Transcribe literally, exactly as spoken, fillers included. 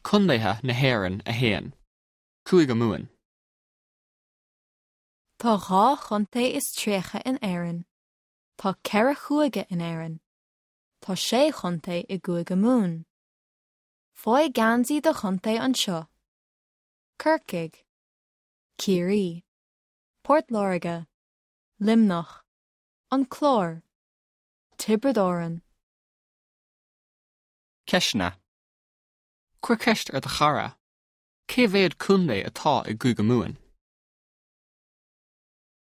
Contaetha na hÉireann a haon. Cúige Mumhan. Tá dhá chontae is tríocha in Éirinn. Tá ceithre chúige in Éirinn. Tá sé chontae i gCúige Mumhan. Faigh geansaí do chontae anseo. Corcaigh, Ciarraí, Port Láirge, Luimneach, An Clár, Tiobraid Árann.